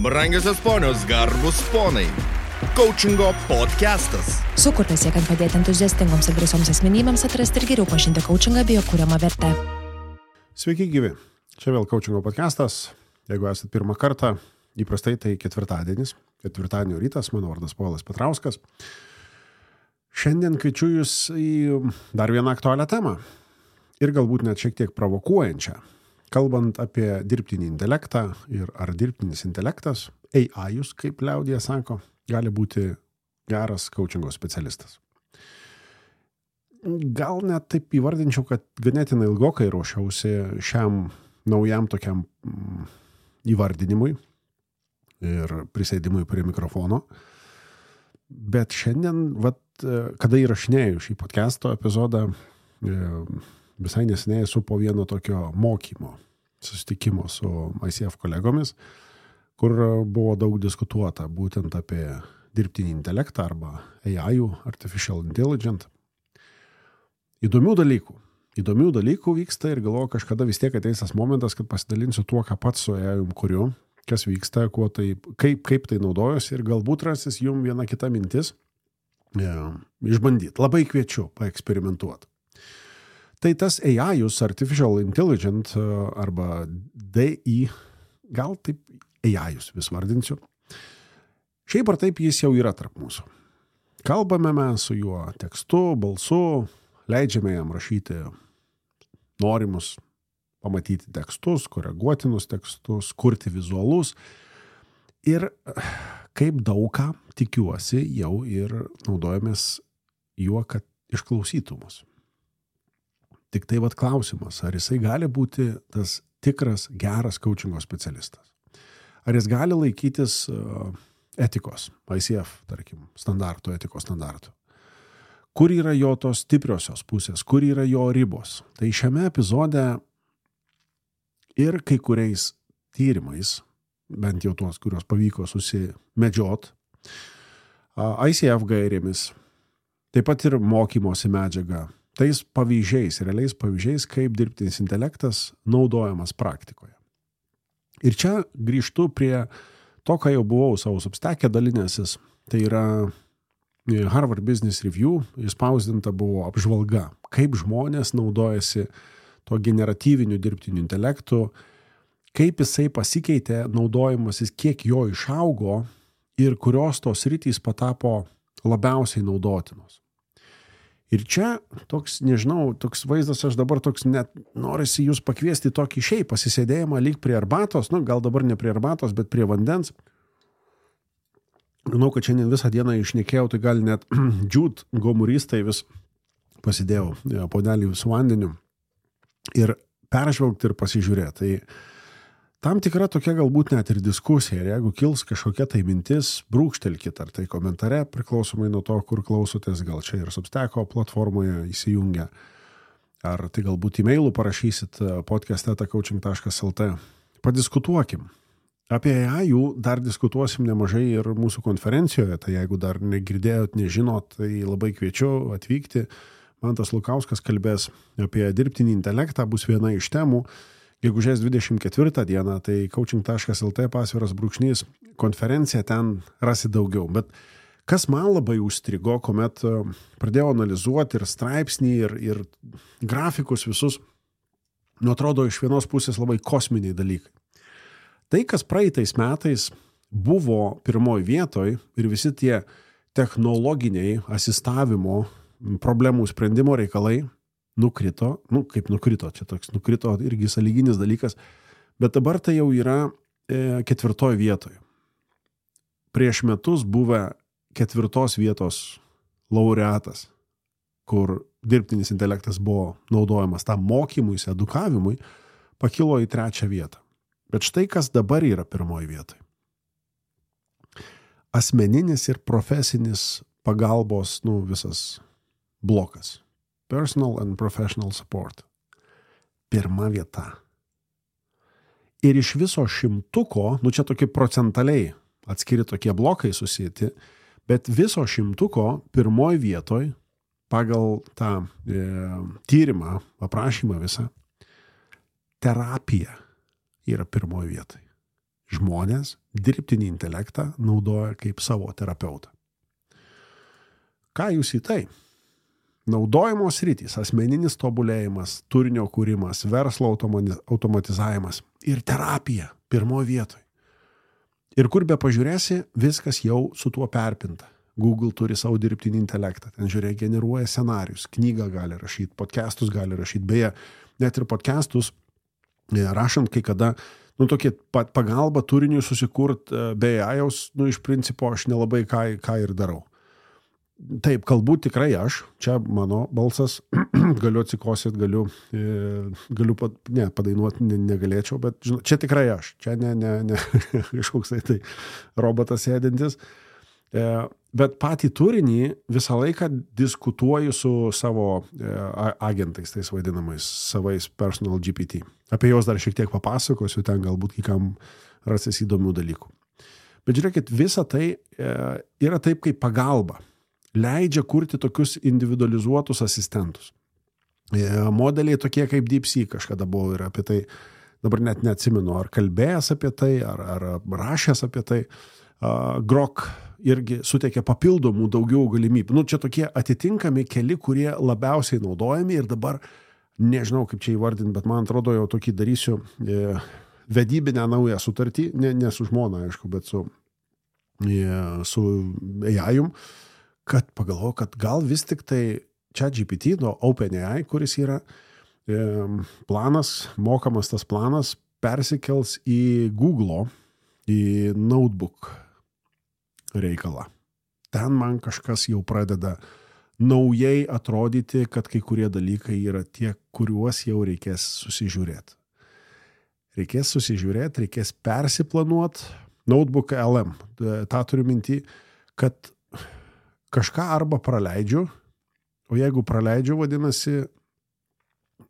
Brangiosios ponios, garbus ponai. Coachingo podcastas. Sukurtas siekiant padėti entuziastingoms ir drąsioms asmenybėms atrasti ir geriau pažinti coachingą bei jo kuriamą vertę. Sveiki gyvi. Čia vėl Coachingo podcastas. Jeigu esate pirmą kartą, įprastai tai ketvirtadienis. Ketvirtadienio rytas, mano vardas Povilas Petrauskas. Šiandien kviečiu jūs į dar vieną aktualią temą. Ir galbūt net šiek tiek provokuojančią. Kalbant apie dirbtinį intelektą ir ar dirbtinis intelektas, AI-us, kaip liaudija sako, gali būti geras coachingo specialistas. Gal net taip įvardinčiau, kad ganėtinai ilgokai ruošiausi šiam naujam tokiam įvardinimui ir prisėdimui prie mikrofono. Bet šiandien, kada įrašinėjau šį podcast'o epizodą, visai neseniai esu po vieno tokio mokymo, susitikimo su ICF kolegomis, kur buvo daug diskutuota būtent apie dirbtinį intelektą arba AI, Artificial Intelligence. Įdomių dalykų vyksta ir galvoju, kažkada vis tiek ateis tas momentas, kad pasidalinsiu tuo, ką pats su AI kuriu, kas vyksta, kaip tai naudojuosi ir galbūt rasis jum viena kita mintis išbandyti. Labai kviečiu paeksperimentuoti. Tai tas AI-us, Artificial Intelligence arba DI, gal taip AI-us vis vardinsiu. Šiaip ar taip jis jau yra tarp mūsų. Kalbame mes su juo tekstu, balsu, leidžiame jam rašyti norimus pamatyti tekstus, koreguotinus tekstus, kurti vizualus. Ir kaip daug ką, tikiuosi, jau ir naudojamės juo, kad išklausytų mus. Tik tai klausimas, ar jisai gali būti tas tikras, geras coachingo specialistas? Ar jis gali laikytis etikos, ICF, tarkim, etikos standartų? Kur yra jo tos stipriosios pusės, kur yra jo ribos? Tai šiame epizode ir kai kuriais tyrimais, bent jau tuos, kurios pavyko susimedžiot, ICF gairėmis, taip pat ir mokymosi medžiaga, tais pavyzdžiais, realiais pavyzdžiais, kaip dirbtinis intelektas naudojamas praktikoje. Ir čia grįžtu prie to, ką jau buvau savo Substack'e dalinęsis, tai yra Harvard Business Review, išspausdinta buvo apžvalga, kaip žmonės naudojasi to generatyviniu dirbtiniu intelektu, kaip jisai pasikeitė naudojimasis, kiek jo išaugo ir kurios tos sritys patapo labiausiai naudotinos. Ir čia toks, nežinau, toks vaizdas, aš dabar toks net norisi jūs pakviesti tokį šiaip pasisėdėjimą lyg prie arbatos, gal dabar ne prie arbatos, bet prie vandens. Žinau, kad šiandien visą dieną išnekėjau, tai gal net džiūt gomuristai vis pasidėjau puodelį su vandeniu ir peržvelgti ir pasižiūrėti. Tai tam tikra tokia galbūt net ir diskusija, ir jeigu kils kažkokia tai mintis, brūkštelkit ar tai komentare, priklausomai nuo to, kur klausotės, gal čia ir Substack'o platformoje įsijungia, ar tai galbūt e-mailų parašysit podcast@coaching.lt. Padiskutuokim. Apie AI dar diskutuosim nemažai ir mūsų konferencijoje, tai jeigu dar negirdėjot, nežinot, tai labai kviečiu atvykti. Mantas Lukauskas kalbės apie dirbtinį intelektą, bus viena iš temų. Gegužės 24 dieną, tai coaching.lt / konferencija, ten rasi daugiau. Bet kas man labai užstrigo, kuomet pradėjau analizuoti ir straipsnį, ir grafikus visus, atrodo iš vienos pusės labai kosminiai dalykai. Tai, kas praeitais metais buvo pirmoji vietoj ir visi tie technologiniai asistavimo problemų sprendimo reikalai, nukrito, kaip nukrito, čia toks nukrito irgi sąlyginis dalykas, bet dabar tai jau yra 4 vietoje. Prieš metus buvę 4 vietos laureatas, kur dirbtinis intelektas buvo naudojamas tam mokymuisi, edukavimui, pakilo į 3 vietą. Bet štai kas dabar yra 1 vietoje. Asmeninis ir profesinis pagalbos, visas blokas. Personal and professional support. 1 vieta. Ir iš viso 100, čia tokie procentaliai atskiri tokie blokai susijęti, bet viso 100 1 vietoj pagal tą tyrimą, aprašymą visą, terapija yra 1 vietoj. žmonės dirbtinį intelektą naudoja kaip savo terapeutą. Ką jūs į tai? Naudojimo sritys, asmeninis tobulėjimas, turinio kūrimas, verslo automatizavimas ir terapija pirmoje vietoje. Ir kur be pažiūrėsi, viskas jau su tuo perpinta. Google turi savo dirbtinį intelektą, ten žiūrėk, generuoja scenarius, knygą gali rašyti, podcastus gali rašyti, beje, net ir podcastus rašant kai kada, tokie pagalba turiniui susikurt be AI-jaus, iš principo aš nelabai ką ir darau. Taip, kalbu tikrai aš, čia mano balsas, galiu atsikosėt, galiu padainuoti negalėčiau, bet žinot, čia tikrai aš, čia ne kažkoks tai robotas sėdintis. Bet patį turinį visą laiką diskutuoju su savo agentais, tais vadinamais, savais personal GPT. Apie juos dar šiek tiek papasakosiu, ten galbūt kai kam rasis įdomių dalykų. Bet žiūrėkit, visa tai yra taip kaip pagalba. Leidžia kurti tokius individualizuotus asistentus. Modeliai tokie kaip DeepSeek kažkada buvo ir apie tai, dabar net neatsimenu, ar kalbėjęs apie tai, ar rašęs apie tai. Grok irgi suteikia papildomų daugiau galimybių. Čia tokie atitinkami keli, kurie labiausiai naudojami ir dabar, nežinau kaip čia įvardinti, bet man atrodo jau tokį darysiu vedybinę naują sutartį, ne su žmona, aišku, bet su AI-jum, kad pagalvoju, kad gal vis tik tai ChatGPT, OpenAI, kuris yra planas, mokamas tas planas, persikels į Google, į Notebook reikalą. Ten man kažkas jau pradeda naujai atrodyti, kad kai kurie dalykai yra tie, kuriuos jau reikės susižiūrėti. Reikės persiplanuoti. Notebook LM, tą turiu minty, kad kažką arba praleidžiu, o jeigu praleidžiu, vadinasi,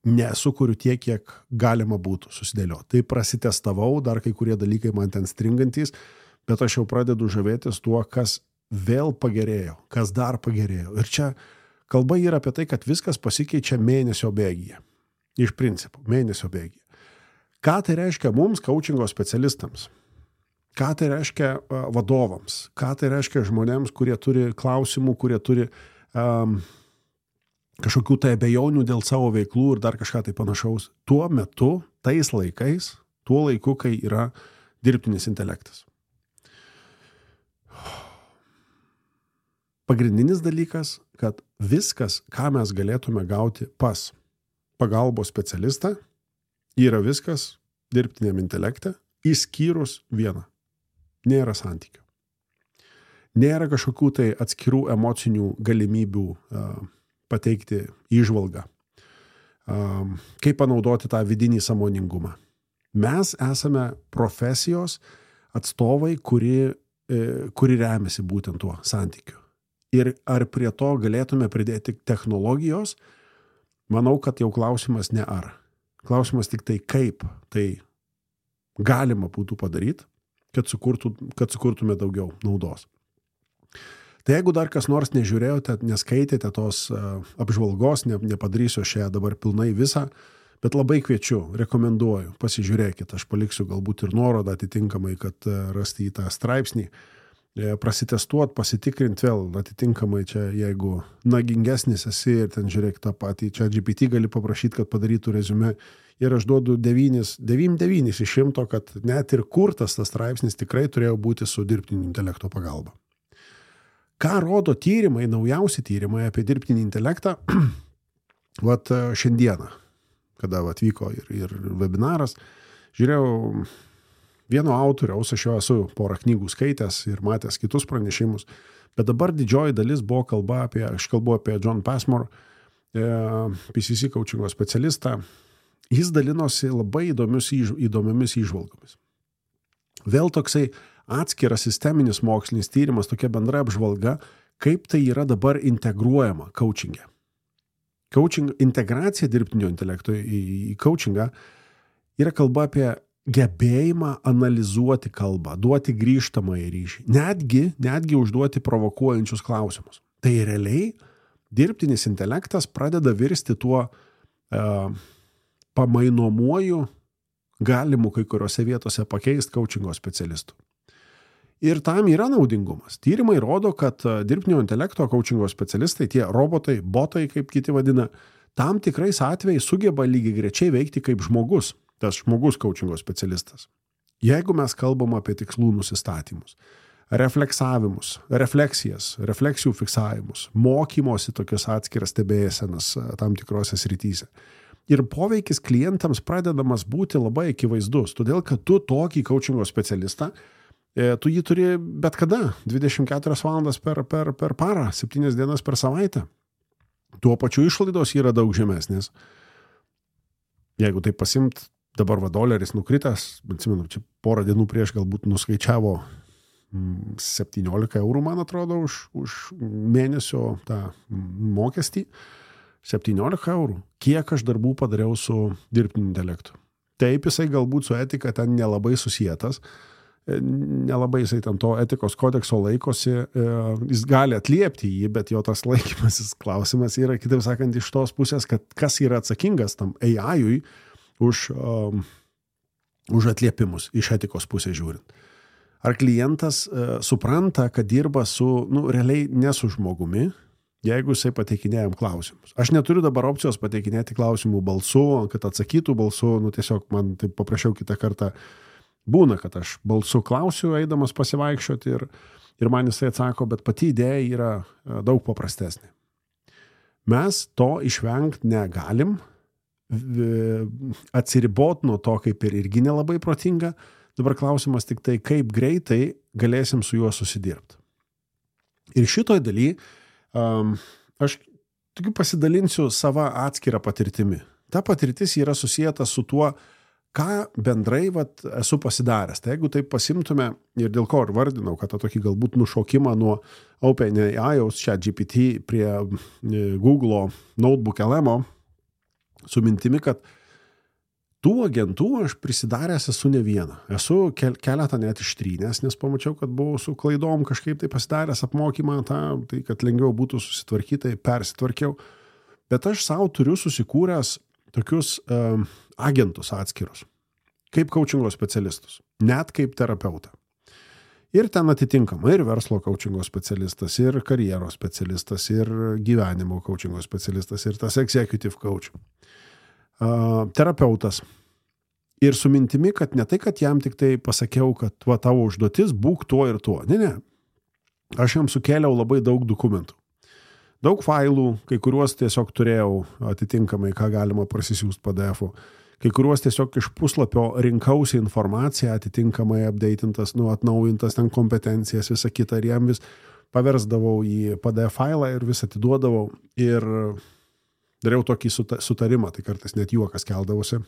nesukuriu tiek, kiek galima būtų susidėlioti. Tai prasitestavau, dar kai kurie dalykai man ten stringantys, bet aš jau pradedu žavėtis tuo, kas vėl pagerėjo, kas dar pagerėjo. Ir čia kalba yra apie tai, kad viskas pasikeičia mėnesio bėgyje. Iš principo, mėnesio bėgyje. Ką tai reiškia mums, coachingo specialistams? Ką tai reiškia vadovams? Ką tai reiškia žmonėms, kurie turi klausimų, kurie turi kažkokių tai abejonių dėl savo veiklų ir dar kažką tai panašaus? Tuo metu, tais laikais, tuo laiku, kai yra dirbtinis intelektas. Pagrindinis dalykas, kad viskas, ką mes galėtume gauti pas pagalbos specialistą, yra viskas dirbtiniam intelekte, išskyrus vieną. Nėra santykių. Nėra kažkokių tai atskirų emocinių galimybių pateikti įžvalgą. Kaip panaudoti tą vidinį sąmoningumą. Mes esame profesijos atstovai, kuri remiasi būtent tuo santykiu. Ir ar prie to galėtume pridėti technologijos, manau, kad jau klausimas ne ar. Klausimas tik tai, kaip tai galima būtų padaryti, kad sukurtume daugiau naudos. Tai jeigu dar kas nors nežiūrėjote, neskaitėte tos apžvalgos, nepadarysiu aš ją dabar pilnai visą, bet labai kviečiu, rekomenduoju, pasižiūrėkit, aš paliksiu galbūt ir nuorodą atitinkamai, kad rasti į tą straipsnį, prasitestuot, pasitikrint vėl atitinkamai čia, jeigu nagingesnis esi ir ten žiūrėk tą patį, čia GPT gali paprašyti, kad padarytų reziumė ir aš duodu 9 iš 100, kad net ir kurtas tas straipsnis tikrai turėjo būti su dirbtinio intelekto pagalba. Ką rodo tyrimai, naujausi tyrimai apie dirbtinį intelektą, šiandieną, kada vyko ir webinaras, žiūrėjau vieno autoriaus, aš jo esu porą knygų skaitęs ir matęs kitus pranešimus, bet dabar didžioji dalis buvo kalba aš kalbu apie John Passmore, PCC coachingo specialistą. Jis dalinosi labai įdomiomis įžvalgomis. Vėl toksai atskiras sisteminis mokslinis tyrimas, tokia bendra apžvalga, kaip tai yra dabar integruojama coachingė. Integracija dirbtinio intelekto į coachingą yra kalba apie gebėjimą analizuoti kalbą, duoti grįžtamąjį ryšį, netgi užduoti provokuojančius klausimus. Tai realiai dirbtinis intelektas pradeda virsti tuo pamainomuoju galimų kai kuriuose vietose pakeisti coachingo specialistų. Ir tam yra naudingumas. Tyrimai rodo, kad dirbtinio intelekto coachingo specialistai, tie robotai, botai, kaip kiti vadina, tam tikrais atvejais sugeba lygiagrečiai veikti kaip žmogus, tas žmogus coachingo specialistas. Jeigu mes kalbam apie tikslų nusistatymus, refleksavimus, refleksijas, refleksijų fiksavimus, mokymosi tokios atskiras stebėsenas tam tikrose srityse. Ir poveikis klientams pradedamas būti labai akivaizdus, todėl kad tu tokį coachingo specialistą, tu jį turi bet kada, 24 valandas per parą, 7 dienas per savaitę. Tuo pačiu išlaidos yra daug žemesnės. Jeigu tai pasimt, dabar doleris nukritęs, atsimenu, čia porą dienų prieš galbūt nuskaičiavo 17 eurų, man atrodo, už mėnesio tą mokestį. 17 eurų. Kiek aš darbų padariau su dirbtiniu intelektu. Taip, jisai galbūt su etika ten nelabai susietas, nelabai jisai ten to etikos kodekso laikosi, jis gali atliepti jį, bet jo tas laikymasis klausimas yra, kitaip sakant, iš tos pusės, kad kas yra atsakingas tam AI-ui už atliepimus iš etikos pusės žiūrint. Ar klientas supranta, kad dirba su, realiai ne su žmogumi, jeigu jisai pateikinėjam klausimus. Aš neturiu dabar opcijos pateikinėti klausimų balsu, kad atsakytų balsu, tiesiog man taip paprašiau kitą kartą. Būna, kad aš balsu klausiu, eidamas pasivaikščioti ir man jisai atsako, bet pati idėja yra daug paprastesnė. Mes to išvengti negalim, atsiribot nuo to kaip ir irgi nelabai protinga. Dabar klausimas tik tai, kaip greitai galėsim su juo susidirbti. Ir šitoj daly aš tik pasidalinsiu savo atskirą patirtimi. Ta patirtis yra susijęta su tuo, ką bendrai esu pasidaręs. Tai jeigu taip pasimtume ir dėl ko ir vardinau, kad tą tokį galbūt nušokimą nuo OpenAI-aus ChatGPT prie Google Notebook LM su mintimi, kad tų agentų aš prisidaręs esu ne vieną. Esu keletą net ištrynęs, nes pamačiau, kad buvau su klaidom kažkaip tai pasidaręs apmokymą, tai kad lengviau būtų susitvarkyti, persitvarkiau. Bet aš savo turiu susikūręs tokius agentus atskirus, kaip coachingo specialistus, net kaip terapeutą. Ir ten atitinkama ir verslo coachingo specialistas, ir karjeros specialistas, ir gyvenimo coachingo specialistas, ir tas executive coach. Terapeutas. Ir su mintimi, kad ne tai, kad jam tik tai pasakiau, kad tavo užduotis būk tuo ir tuo. Ne. Aš jam sukėliau labai daug dokumentų. Daug failų, kai kuriuos tiesiog turėjau atitinkamai, ką galima prasisiųsti PDF-u. Kai kuriuos tiesiog iš puslapio rinkausi informaciją, atitinkamai updatintas, atnaujintas ten kompetencijas, visą kitą, ir jam vis paversdavau į PDF failą ir vis atiduodavau. Ir dariau tokį sutarimą, tai kartais net juokas keldavosi.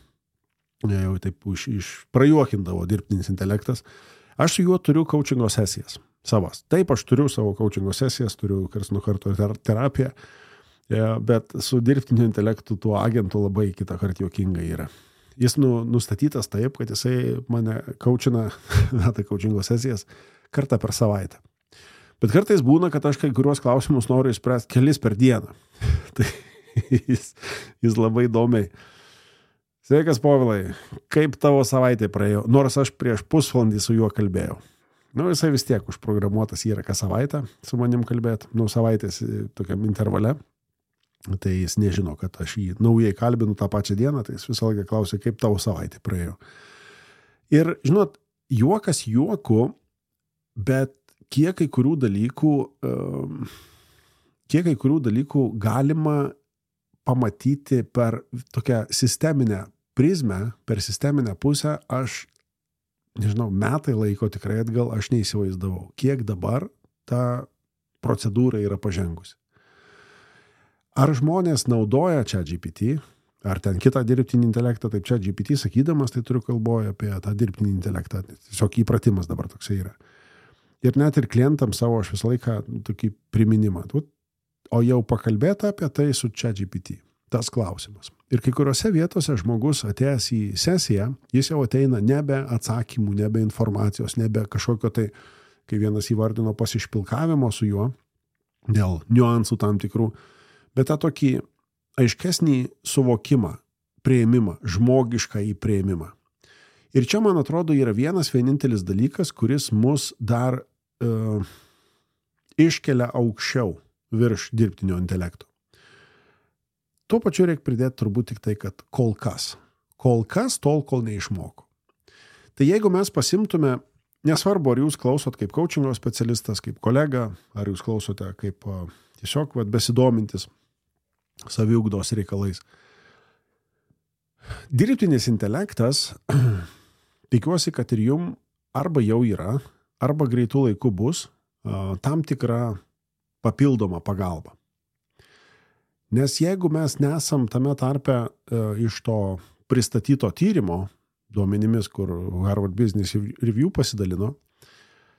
Jau taip prajuokindavo dirbtinis intelektas. Aš su juo turiu coachingo sesijas savas. Taip, aš turiu savo coachingo sesijas, turiu karts nuo karto terapiją, bet su dirbtiniu intelektu tuo agentu labai kitą kartą juokingai yra. Jis nustatytas taip, kad jisai mane coachina, tai coachingo sesijas, kartą per savaitę. Bet kartais būna, kad aš kai kuriuos klausimus noriu išspręsti kelis per dieną. Tai jis labai įdomiai. Sveikas, Povilai, kaip tavo savaitė praėjo? Nors aš prieš pusvalandį su juo kalbėjau. Jisai vis tiek užprogramuotas yra kas savaitę su manim kalbėti, savaitės tokiam intervale. Tai jis nežino, kad aš jį naujai kalbinu tą pačią dieną, tai jis visą laiką klausė, kaip tavo savaitė praėjo. Ir, žinot, juokas juoku, bet kiek kai kurių dalykų galima pamatyti per tokią sisteminę prizmę, per sisteminę pusę, aš, nežinau, metai laiko tikrai atgal, aš neįsivaizdavau, kiek dabar ta procedūra yra pažengusi. Ar žmonės naudoja ChatGPT, ar ten kitą dirbtinį intelektą, taip ChatGPT sakydamas, tai turiu kalboje apie tą dirbtinį intelektą, tiesiog įpratimas dabar toksai yra. Ir net ir klientams savo aš visą laiką tokį priminimą. O jau pakalbėta apie tai su ChatGPT. Tas klausimas. Ir kai kuriuose vietose žmogus atėjęs į sesiją, jis jau ateina nebe atsakymų, nebe informacijos, nebe kažkokio tai, kai vienas įvardino pasišpilkavimo su juo, dėl niuansų tam tikrų, bet tą tokį aiškesnį suvokimą, priėmimą, žmogišką į priėmimą. Ir čia, man atrodo, yra vienintelis dalykas, kuris mus dar iškelia aukščiau virš dirbtinio intelekto. Tuo pačiu reikia pridėti turbūt tik tai, kad kol kas tol, kol neišmoko. Tai jeigu mes pasimtume, nesvarbu, ar jūs klausot kaip coachingo specialistas, kaip kolega, ar jūs klausote kaip tiesiog besidomintis saviugdos reikalais. Dirbtinis intelektas, tikiuosi, kad ir jum arba jau yra, arba greitų laikų bus tam tikra papildoma pagalba. Nes jeigu mes nesam tame tarpe iš to pristatyto tyrimo duomenimis, kur Harvard Business Review pasidalino,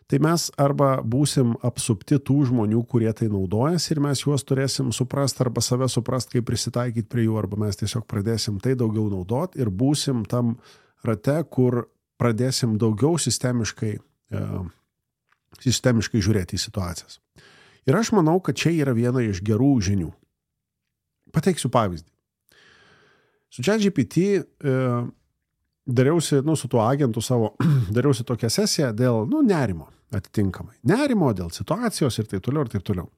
tai mes arba būsim apsupti tų žmonių, kurie tai naudojasi ir mes juos turėsim suprast arba save suprast, kaip prisitaikyti prie jų, arba mes tiesiog pradėsim tai daugiau naudot ir būsim tam rate, kur pradėsim daugiau sistemiškai žiūrėti į situacijas. Ir aš manau, kad čia yra viena iš gerų žinių. Pateiksiu pavyzdį. Su ChatGPT dariausi, su tuo agentu savo, dariausi tokią sesiją dėl, nerimo atitinkamai. Nerimo dėl situacijos ir taip toliau, ir taip toliau.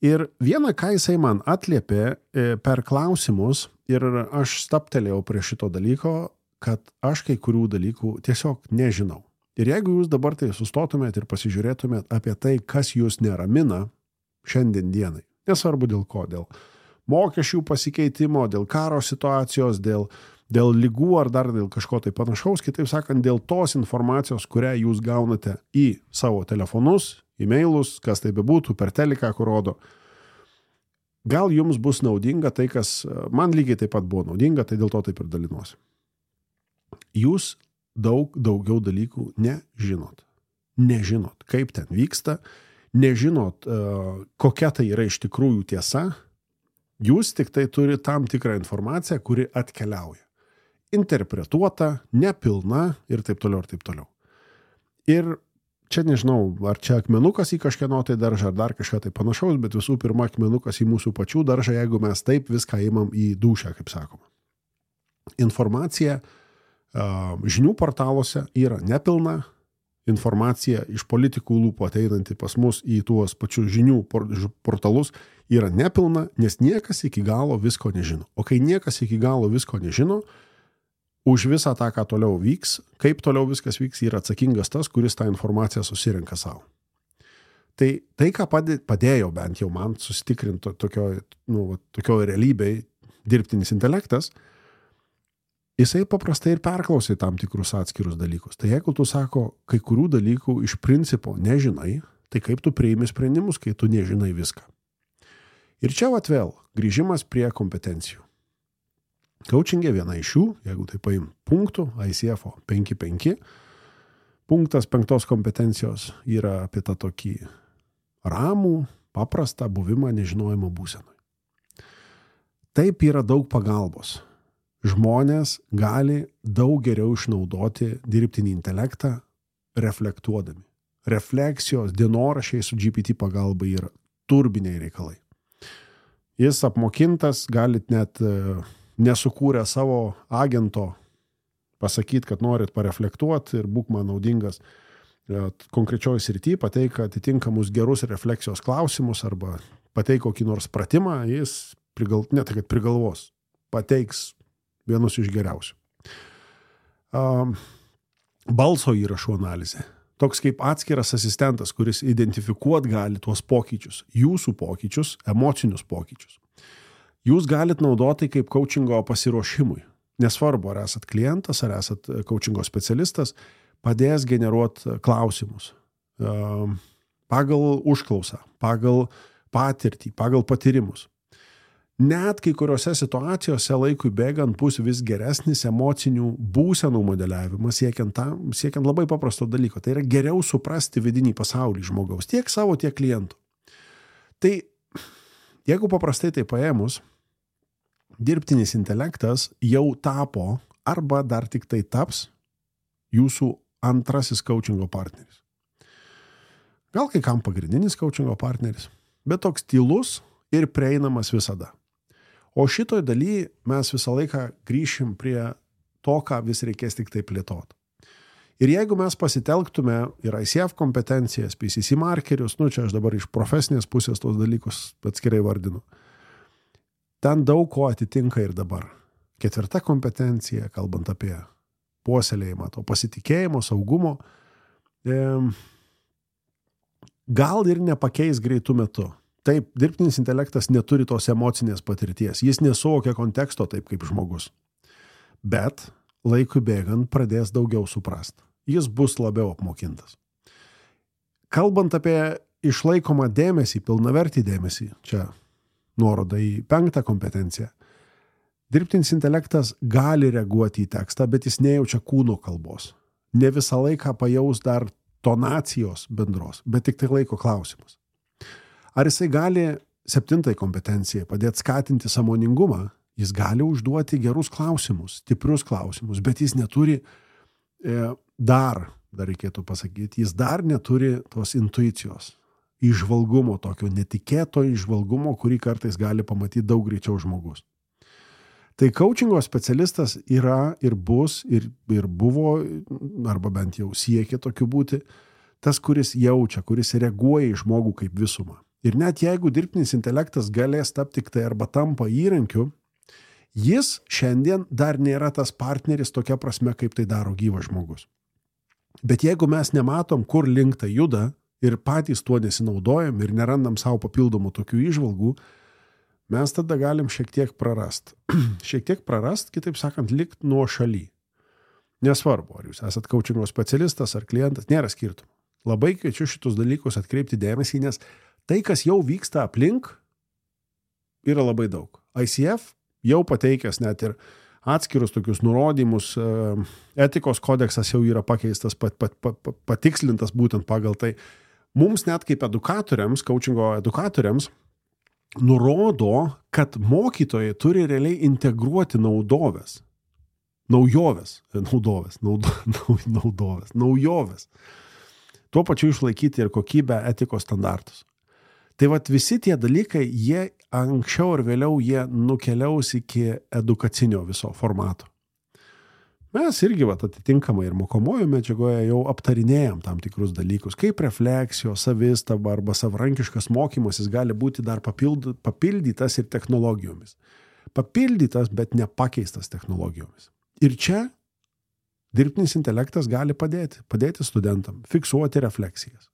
Ir vieną, ką jisai man atliepė per klausimus, ir aš staptelėjau prie šito dalyko, kad aš kai kurių dalykų tiesiog nežinau. Ir jeigu jūs dabar tai sustotumėt ir pasižiūrėtumėt apie tai, kas jūs neramina šiandien dienai, nesvarbu dėl ko, dėl mokesčių pasikeitimo, dėl karo situacijos, dėl lygų ar dar dėl kažko tai panašaus, kitaip sakant, dėl tos informacijos, kurią jūs gaunate į savo telefonus, e-mailus, kas tai bebūtų, per teliką, kur rodo. Gal jums bus naudinga tai, kas man lygiai taip pat buvo naudinga, tai dėl to taip ir dalinuosi. Jūs daugiau dalykų nežinot. Nežinot, kaip ten vyksta, nežinot, kokia tai yra iš tikrųjų tiesa. Jūs tik tai turi tam tikrą informaciją, kuri atkeliauja. Interpretuota, nepilna ir taip toliau, ir taip toliau. Ir čia nežinau, ar čia akmenukas į kažkieno tai daržą, ar dar kažką tai panašaus, bet visų pirma akmenukas į mūsų pačių daržą, jeigu mes taip viską įmam į dūšią, kaip sakoma. Informacija žinių portaluose yra nepilna, informacija iš politikų lūpų ateinanti pas mus į tuos pačius žinių portalus yra nepilna, nes niekas iki galo visko nežino. O kai niekas iki galo visko nežino, už visą tą, ką toliau vyks, kaip toliau viskas vyks, yra atsakingas tas, kuris tą informaciją susirenka savo. Tai ką padėjo bent jau man susitikrinti tokio realybėj dirbtinis intelektas, jisai paprastai ir perklausai tam tikrus atskirus dalykus. Tai jeigu tu sako, kai kurių dalykų iš principo nežinai, tai kaip tu priimi sprendimus, kai tu nežinai viską. Ir čia vėl grįžimas prie kompetencijų. Coachingė viena iš jų, jeigu tai paim punktų, ICF 5.5, punktas 5 kompetencijos yra apie tą tokį ramų, paprastą buvimą nežinojimo būsenoj. Taip yra daug pagalbos. Žmonės gali daug geriau išnaudoti dirbtinį intelektą reflektuodami. Refleksijos, dienoraščiai su GPT pagalba yra turbiniai reikalai. Jis apmokintas, galit net nesukūrę savo agento pasakyti, kad norit pareflektuoti ir būk man naudingas konkrečioj srity, pateik atitinkamus gerus refleksijos klausimus arba pateik kokį nors pratimą, jis prigalvos, pateiks vienus iš geriausių. Balso įrašų analizė. Toks kaip atskiras asistentas, kuris identifikuot gali tuos pokyčius, jūsų pokyčius, emocinius pokyčius. Jūs galit naudoti kaip coachingo pasiruošimui. Nesvarbu, ar esat klientas, ar esat coachingo specialistas, padės generuoti klausimus. Pagal užklausą, pagal patirtį, pagal patyrimus. Net kai kuriuose situacijose laikui bėgant bus vis geresnis emocinių būsenų modeliavimas, siekiant labai paprasto dalyko. Tai yra geriau suprasti vidinį pasaulį žmogaus, tiek savo, tiek klientų. Tai jeigu paprastai tai paėmus, dirbtinis intelektas jau tapo arba dar tik tai taps jūsų antrasis coachingo partneris. Gal kai kam pagrindinis coachingo partneris, bet toks tylus ir prieinamas visada. O šitoj daly mes visą laiką grįšim prie to, ką vis reikės tik tai plėtoti. Ir jeigu mes pasitelktume ir ICF kompetencijas, PCC markerius, čia aš dabar iš profesinės pusės tos dalykus atskirai vardinu, ten daug ko atitinka ir dabar. 4. kompetencija, kalbant apie puoselėjimą, to pasitikėjimo, saugumo, gal ir nepakeis greitų metu. Taip, dirbtinis intelektas neturi tos emocinės patirties, jis nesuvokia konteksto taip kaip žmogus. Bet laikui bėgant pradės daugiau suprast. Jis bus labiau apmokintas. Kalbant apie išlaikomą dėmesį, pilnavertį dėmesį, čia nuoroda į 5. kompetenciją, dirbtinis intelektas gali reaguoti į tekstą, bet jis nejaučia kūno kalbos. Ne visą laiką pajaus dar tonacijos bendros, bet tik tai laiko klausimas. Ar jisai gali 7. kompetencijai padėti skatinti sąmoningumą? Jis gali užduoti gerus klausimus, stiprius klausimus, bet jis neturi dar reikėtų pasakyti, jis dar neturi tos intuicijos, įžvalgumo, tokio netikėto įžvalgumo, kurį kartais gali pamatyti daug greičiau žmogus. Tai coachingo specialistas yra ir bus, ir buvo, arba bent jau siekia tokiu būti, tas, kuris jaučia, kuris reaguoja į žmogų kaip visumą. Ir net jeigu dirbtinis intelektas galės tapti tik tai arba tampa įrankiu, jis šiandien dar nėra tas partneris tokia prasme, kaip tai daro gyvas žmogus. Bet jeigu mes nematom, kur link tai juda ir patys tuo nesinaudojam ir nerandam savo papildomų tokių įžvalgų, mes tada galim šiek tiek prarast. Šiek tiek prarast, kitaip sakant, likt nuo šaly. Nesvarbu, ar jūs esat coachingo specialistas ar klientas, nėra skirtumų. Labai kviečiu šitus dalykus atkreipti dėmesį, nes tai, kas jau vyksta aplink, yra labai daug. ICF jau pateikęs net ir atskirus tokius nurodymus, etikos kodeksas jau yra pakeistas, patikslintas būtent pagal tai. Mums net kaip edukatoriams, coachingo edukatoriams, nurodo, kad mokytojai turi realiai integruoti naujoves. Tuo pačiu išlaikyti ir kokybę etikos standartus. Tai visi tie dalykai, jie anksčiau ir vėliau jie nukeliaus iki edukacinio viso formato. Mes irgi atitinkamai ir mokomojo medžiagoje jau aptarinėjom tam tikrus dalykus, kaip refleksijos, savistaba arba savarankiškas mokymasis gali būti dar papildytas ir technologijomis. Papildytas, bet nepakeistas technologijomis. Ir čia dirbtinis intelektas gali padėti studentam, fiksuoti refleksijas,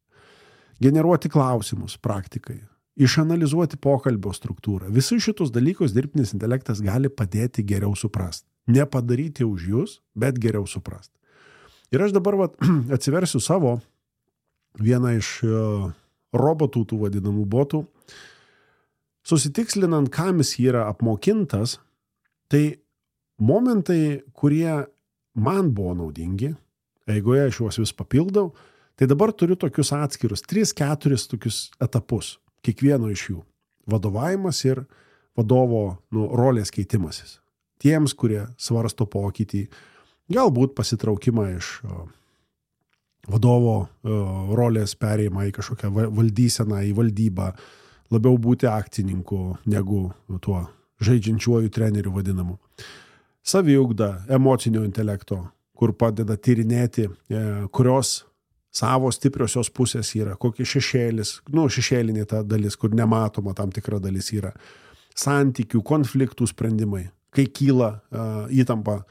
generuoti klausimus praktikai, išanalizuoti pokalbio struktūrą. Visus šitus dalykus dirbtinis intelektas gali padėti geriau suprasti. Nepadaryti už jūs, bet geriau suprasti. Ir aš dabar atsiversiu savo vieną iš robotų, tų vadinamų botų, susitikslinant, kam jis yra apmokintas, tai momentai, kurie man buvo naudingi, eigoje aš juos vis papildau, tai dabar turiu tokius atskirus 3-4 tokius etapus, kiekvieno iš jų. Vadovavimas ir vadovo rolės keitimasis. Tiems, kurie svarsto pokytį, galbūt pasitraukimą iš vadovo rolės perėjimą į kažkokią valdyseną, į valdybą, labiau būti akcininku negu tuo žaidžiančiuoju treneriu vadinamu. Saviugda, emocinio intelekto, kur padeda tyrinėti, kurios savo stipriosios pusės yra, kokie šešėlinė ta dalis, kur nematoma tam tikra dalis yra. Santykių, konfliktų sprendimai, kai kyla įtampa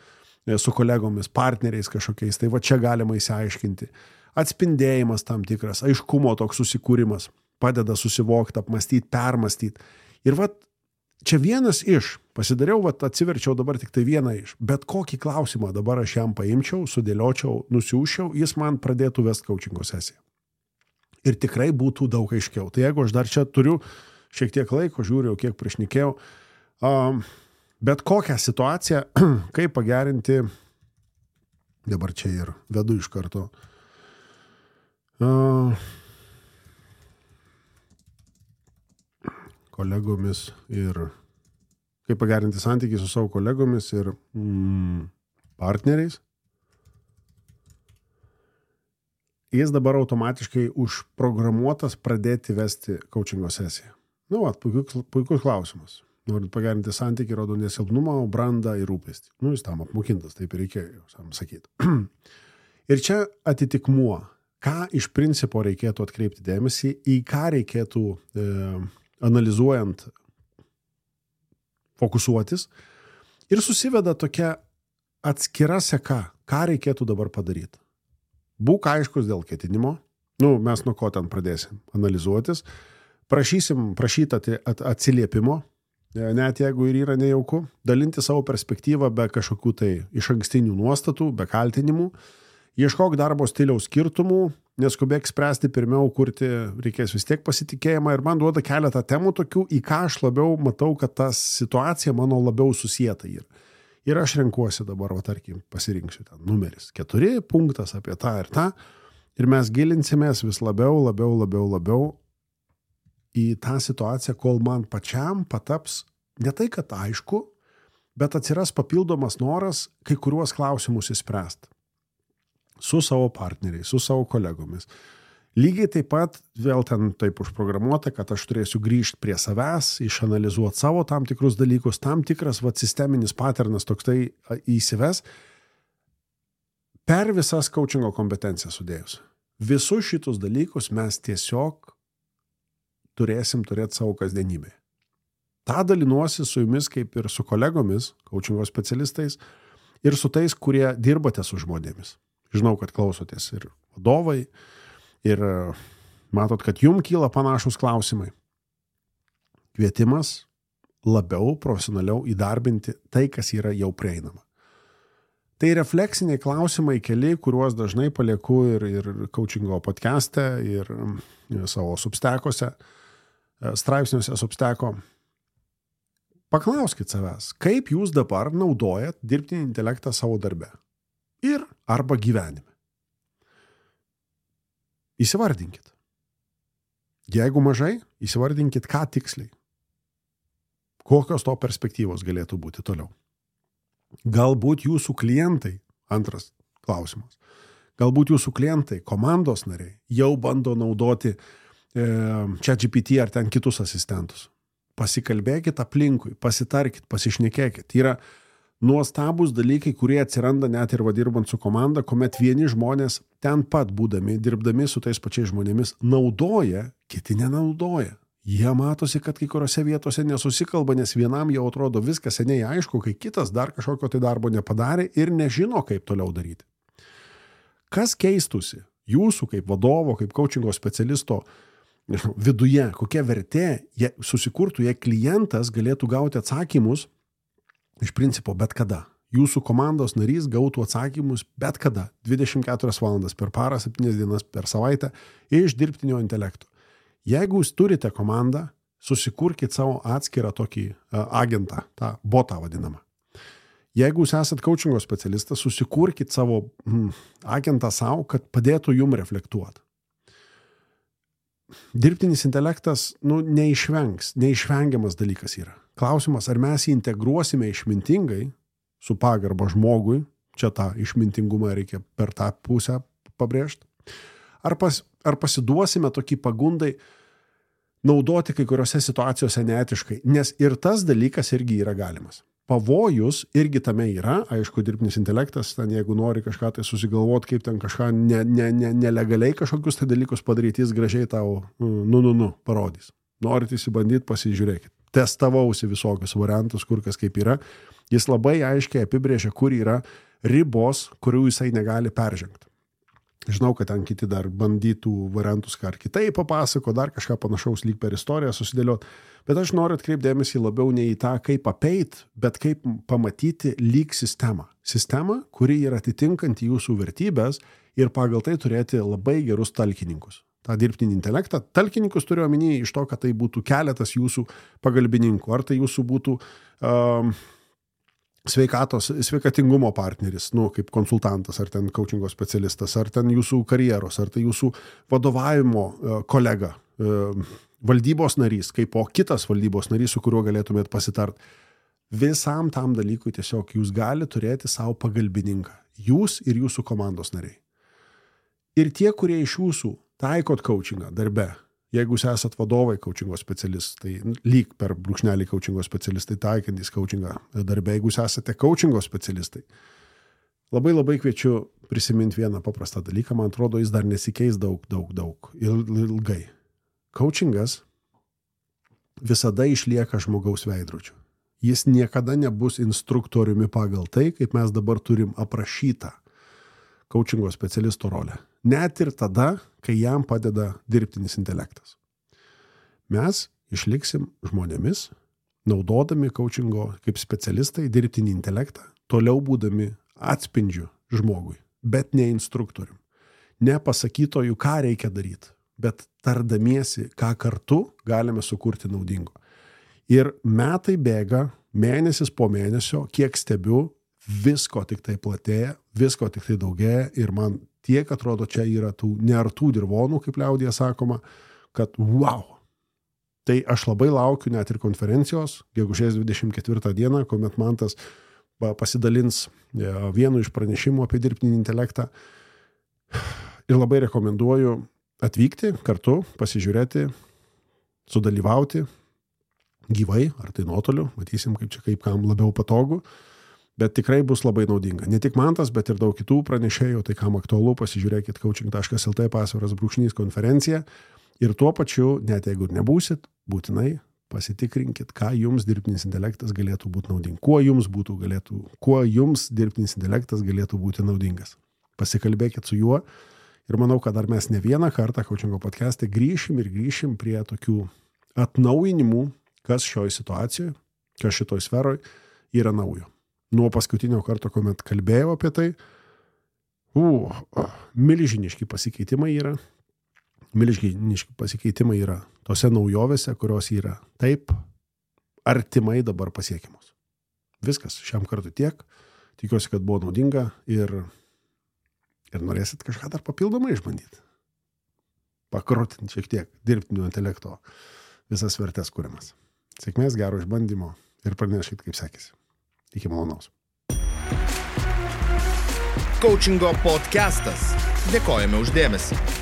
su kolegomis, partneriais kažkokiais, tai čia galima įsiaiškinti. Atspindėjimas tam tikras, aiškumo toks susikūrimas, padeda susivokti, apmastyti, permastyti. Ir čia vienas iš, pasidariau, atsiverčiau dabar tik tai vieną iš, bet kokį klausimą dabar aš jam paimčiau, sudėliočiau, nusiųsčiau, jis man pradėtų vesti coachingo sesiją. Ir tikrai būtų daug aiškiau. Tai jeigu aš dar čia turiu šiek tiek laiko, žiūriu, kiek prišnekėjau, bet kokią situaciją, kaip pagerinti, dabar čia ir vedu iš karto, kolegomis ir kaip pagerinti santykį su savo kolegomis ir partneriais. Jis dabar automatiškai užprogramuotas pradėti vesti coachingo sesiją. Puikus klausimas. norint pagerinti santykį, rodo nesilpnumą, brandą ir rūpestį. Jis tam apmokintas, taip ir reikėjo jam sakyti. Ir čia atitikmuo, ką iš principo reikėtų atkreipti dėmesį, į ką reikėtų analizuojant fokusuotis, ir susiveda tokia atskira seka, ką reikėtų dabar padaryti. Būk aiškus dėl ketinimo, mes nuo ko ten pradėsim analizuotis, prašyti atsiliepimo, net jeigu ir yra nejauku, dalinti savo perspektyvą be kažkokių tai išankstinių nuostatų, be kaltinimų, ieškok darbo stiliaus skirtumų, neskubėk spręsti, pirmiau kurti reikės vis tiek pasitikėjimą ir man duoda keletą temų tokių, į ką aš labiau matau, kad ta situacija mano labiau susieta yra. Ir aš renkuosi dabar, tarkim, pasirinksiu ten numeris 4, punktas apie tą ir tą, ir mes gilinsimės vis labiau į tą situaciją, kol man pačiam pataps ne tai, kad aišku, bet atsiras papildomas noras kai kuriuos klausimus įspręsti. Su savo partneriais, su savo kolegomis. Lygiai taip pat vėl ten taip užprogramuota, kad aš turėsiu grįžti prie savęs, išanalizuoti savo tam tikrus dalykus, tam tikras sisteminis paternas toks tai įsives per visas coachingo kompetencijas sudėjus. Visus šitus dalykus mes tiesiog turėsim turėti savo kasdienybėje. Ta dalinuosi su jumis kaip ir su kolegomis, coachingo specialistais ir su tais, kurie dirbate su žmonėmis. Žinau, kad klausotės ir vadovai, ir matot, kad jums kyla panašus klausimai. Kvietimas labiau, profesionaliau įdarbinti tai, kas yra jau prieinama. Tai refleksiniai klausimai keli, kuriuos dažnai palieku ir coachingo podcast'e, ir savo substekuose, straipsniuose substeko. Paklauskit savęs, kaip jūs dabar naudojat dirbtinį intelektą savo darbe ir arba gyvenime. Įsivardinkit. Jeigu mažai, įsivardinkit, ką tiksliai. Kokios to perspektyvos galėtų būti toliau. Galbūt jūsų klientai, antras klausimas, galbūt jūsų klientai, komandos nariai jau bando naudoti ChatGPT ar ten kitus asistentus. Pasikalbėkit aplinkui, pasitarkit, pasišnekėkit. Yra nuostabus dalykai, kurie atsiranda net ir dirbant su komanda, kuomet vieni žmonės ten pat būdami, dirbdami su tais pačiais žmonėmis, naudoja, kiti nenaudoja. Jie matosi, kad kai kuriuose vietose nesusikalba, nes vienam jau atrodo viskas seniai aišku, kai kitas dar kažkokio tai darbo nepadarė ir nežino, kaip toliau daryti. Kas keistusi jūsų kaip vadovo, kaip coachingo specialisto viduje, kokia vertė susikurtų, jei klientas galėtų gauti atsakymus iš principo bet kada. Jūsų komandos narys gautų atsakymus bet kada, 24 valandas per parą, 7 dienas per savaitę iš dirbtinio intelekto. Jeigu jūs turite komandą, susikurkit savo atskirą tokį agentą, tą botą vadinamą. Jeigu jūs esat coachingo specialistas, susikurkit savo agentą savo, kad padėtų jum reflektuoti. Dirbtinis intelektas neišvengiamas dalykas yra. Klausimas, ar mes jį integruosime išmintingai, su pagarba žmogui, čia tą išmintingumą reikia per tą pusę pabrėžti, ar pasiduosime tokį pagundai naudoti kai kuriuose situacijose neetiškai, nes ir tas dalykas irgi yra galimas. Pavojus irgi tame yra, aišku, dirbtinis intelektas, ten jeigu nori kažką tai susigalvoti, kaip ten kažką nelegaliai kažkokius tai dalykus padaryti, jis gražiai tau parodys. Norit įsibandyti, pasižiūrėkit. Testavausi visokius variantus, kur kas kaip yra. Jis labai aiškiai apibrėžia, kur yra ribos, kurių jisai negali peržengti. Žinau, kad ten kiti dar bandytų variantus ką ar kitaip papasako, dar kažką panašaus lyg per istoriją susidėliot. Bet aš noriu atkreipdėmėsi labiau ne į tą, kaip apeit, bet kaip pamatyti lyg sistemą. Sistemą, kuri yra atitinkanti jūsų vertybės ir pagal tai turėti labai gerus talkininkus. tą dirbtinį intelektą. Talkininkus turiu omeny iš to, kad tai būtų keletas jūsų pagalbininkų, ar tai jūsų būtų sveikatingumo partneris, kaip konsultantas, ar ten coachingo specialistas, ar ten jūsų karjeros, ar tai jūsų vadovavimo kolega, valdybos narys, kaip po kitas valdybos narys, su kuriuo galėtumėt pasitart. Visam tam dalykui tiesiog jūs gali turėti savo pagalbininką. Jūs ir jūsų komandos nariai. Ir tie, kurie iš jūsų taikot coachingą darbe, Jeigu jūs esat vadovai coachingo specialistai, lyg per brūkšnelį coachingo specialistai taikantys coachingą darbę, jeigu jūs esate coachingo specialistai, labai kviečiu prisiminti vieną paprastą dalyką, man atrodo, jis dar nesikeis daug ilgai. Coachingas visada išlieka žmogaus veidrodžiu. Jis niekada nebus instruktoriumi pagal tai, kaip mes dabar turim aprašytą coachingo specialisto rolę. Net ir tada, kai jam padeda dirbtinis intelektas. Mes išliksim žmonėmis, naudodami coachingo kaip specialistai dirbtinį intelektą, toliau būdami atspindžiu žmogui, bet ne instruktorium. Ne pasakytojų, ką reikia daryti, bet tardamiesi, ką kartu galime sukurti naudingo. Ir metai bėga, mėnesis po mėnesio, kiek stebiu, visko tik tai platėja, visko tik tai daugėja ir man tiek atrodo čia yra tų neartų dirvonų, kaip liaudyje sakoma, kad wow. Tai aš labai laukiu net ir konferencijos, gegužės 24 dieną, kuomet Mantas pasidalins vienu iš pranešimų apie dirbtinį intelektą ir labai rekomenduoju atvykti kartu, pasižiūrėti, sudalyvauti gyvai, ar tai nuotoliu, matysim kaip kam labiau patogu. Bet tikrai bus labai naudinga. Ne tik Mantas, bet ir daug kitų pranešėjų, tai kam aktualu, pasižiūrėkit coaching.lt /konferencija ir tuo pačiu, net jeigu nebūsit, būtinai pasitikrinkit, ką jums dirbtinis intelektas galėtų būti naudingas. Kuo jums dirbtinis intelektas galėtų būti naudingas. Pasikalbėkit su juo ir manau, kad dar mes ne vieną kartą coachingo podcast'e grįšim prie tokių atnaujinimų, kas šioj situacijoje, kas šitoj sferoj yra naujo. Nuo paskutinio karto, kuomet kalbėjau apie tai, milžiniški pasikeitimai yra tose naujovėse, kurios yra taip artimai dabar pasiekiamos. Viskas, šiam kartu tiek. Tikiuosi, kad buvo naudinga ir norėsit kažką dar papildomai išbandyti. Pakrutinti šiek tiek dirbtinio intelekto visas vertes kuriamas. Sėkmės, gero išbandymo ir praneškit, kaip sekėsi. Iki malonaus. Coachingo podcastas. Dėkojame už dėmesį.